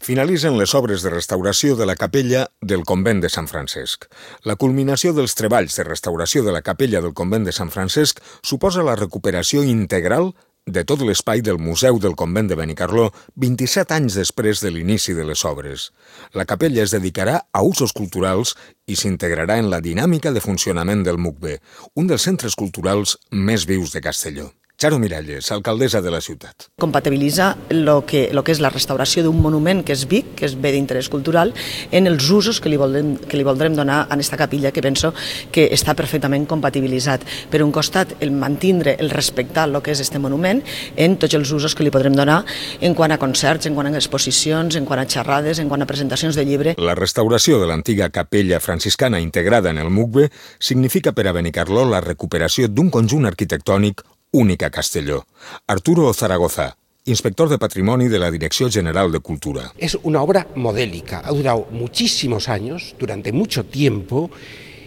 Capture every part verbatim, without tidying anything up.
Finalitzen les obres de restauració de la capella del convent de Sant Francesc. La culminació dels treballs de restauració de la capella del convent de Sant Francesc suposa la recuperació integral de tot l'espai del Museu del Convent de Benicarló vint-i-set anys després de l'inici de les obres. La capella es dedicarà a usos culturals i s'integrarà en la dinàmica de funcionament del M U C B, un dels centres culturals més vius de Castelló. Charo Miralles, alcaldessa de la ciutat. Compatibilitza lo que, lo que és la restauració d'un monument que és Vic, que és bé d'interès cultural, en els usos que li, voldrem, que li voldrem donar a aquesta capella, que penso que està perfectament compatibilitzat. Per un costat, el mantindre, el respectar el que és este monument en tots els usos que li podrem donar en quant a concerts, en quant a exposicions, en quant a xerrades, en quant a presentacions de llibre. La restauració de l'antiga capella franciscana integrada en el M U C B significa per a Benicarló la recuperació d'un conjunt arquitectònic únic a Castelló. Arturo Zaragoza, inspector de Patrimoni de la Dirección General de Cultura. Es una obra modélica, ha durado muchísimos años, durante mucho tiempo,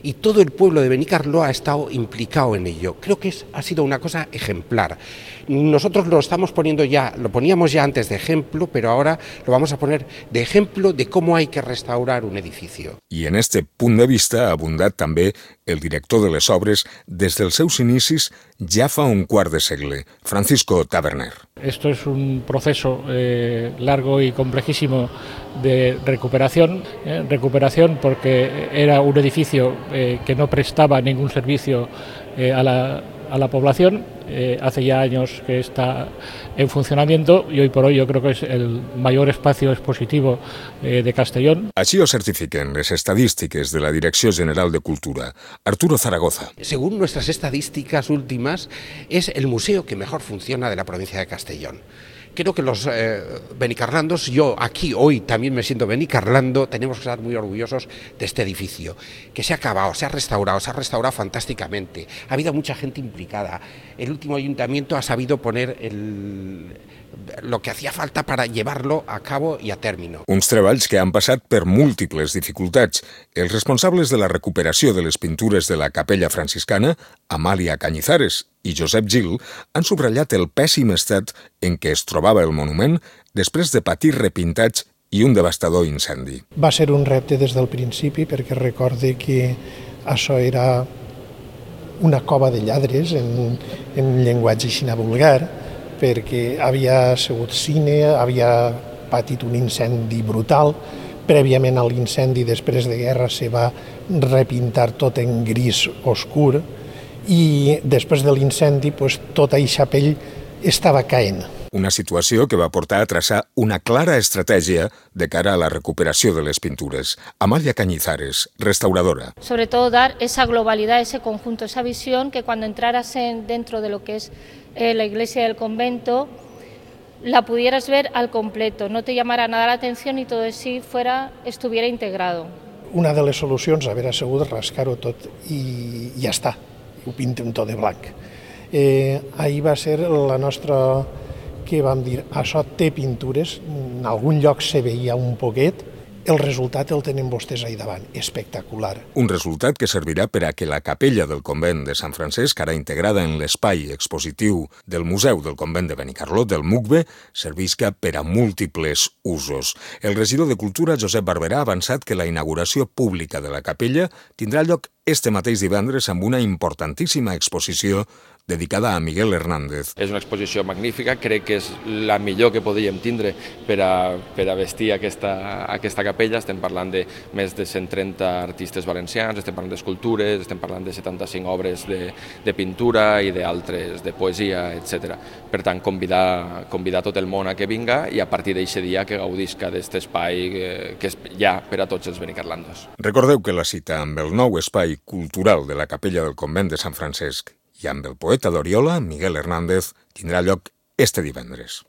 y todo el pueblo de Benicarló ha estado implicado en ello. Creo que es, ha sido una cosa ejemplar. Nosotros lo estamos poniendo ya, lo poníamos ya antes de ejemplo, pero ahora lo vamos a poner de ejemplo de cómo hay que restaurar un edificio. I en este punt de vista ha abundat també el director de les obres des dels seus inicis ja fa un quart de segle, Francisco Taberner. Esto es un proceso eh, largo y complejísimo de recuperación, eh, recuperación porque era un edificio eh, que no prestaba ningún servicio eh, a, la, a la población. Eh, hace ya años que está en funcionamiento y hoy por hoy yo creo que es el mayor espacio expositivo eh, de Castellón. Així ho certifiquen les estadístiques de la Direcció General de Cultura. Arturo Zaragoza. Según nuestras estadísticas últimas, es el museo que mejor funciona de la provincia de Castellón. Creo que los eh, benicarlandos, yo aquí hoy también me siento benicarlando, tenemos que estar muy orgullosos de este edificio, que se ha acabado, se ha restaurado, se ha restaurado fantásticamente. Ha habido mucha gente implicada. El último ayuntamiento ha sabido poner el, lo que hacía falta para llevarlo a cabo i a término. Uns treballs que han passat per múltiples dificultats. Els responsables de la recuperació de les pintures de la capella franciscana, Amàlia Cañizares i Josep Gil, han subratllat el pèssim estat en què es trobava el monument després de patir repintats i un devastador incendi. Va ser un repte des del principi perquè recorde que això era una cova de lladres en, en llenguatge xina vulgar, perquè havia sigut cine, havia patit un incendi brutal. Prèviament a l'incendi, després de guerra, se va repintar tot en gris oscur i després de l'incendi pues, tota eixa pell estava caent. Una situació que va portar a traçar una clara estratègia de cara a la recuperació de les pintures. Amàlia Cañizares, restauradora. Sobre todo dar esa globalidad, ese conjunto, esa visión que cuando entraras en, dentro de lo que es eh, la iglesia del convento, la pudieras ver al completo, no te llamara nada la atención y todo eso fuera, estuviera integrado. Una de les solucions haver sigut rascar-ho tot i ja està, ho pintem tot de blanc. Eh, ahir va ser la nostra... que vam dir, això té pintures, en algun lloc se veia un poquet, el resultat el tenen vostès ahí davant, espectacular. Un resultat que servirà per a que la capella del convent de Sant Francesc, ara integrada en l'espai expositiu del Museu del Convent de Benicarló, del M U C B, servisca per a múltiples usos. El regidor de Cultura, Josep Barberà, ha avançat que la inauguració pública de la capella tindrà lloc este mateix divendres amb una importantíssima exposició dedicada a Miguel Hernández. És una exposició magnífica, crec que és la millor que podríem tindre per a, per a vestir aquesta, aquesta capella. Estem parlant de més de cent trenta artistes valencians, estem parlant d'escultures, estem parlant de setanta-cinc obres de, de pintura i d'altres, de poesia, etcètera. Per tant, convidar, convidar tot el món a que vinga i a partir d'aquest dia que gaudisca d'aquest espai que, que és ja per a tots els benicarlandos. Recordeu que la cita amb el nou espai cultural de la capella del convent de Sant Francesc i amb el poeta d'Oriola, Miguel Hernández, tindrà lloc este divendres.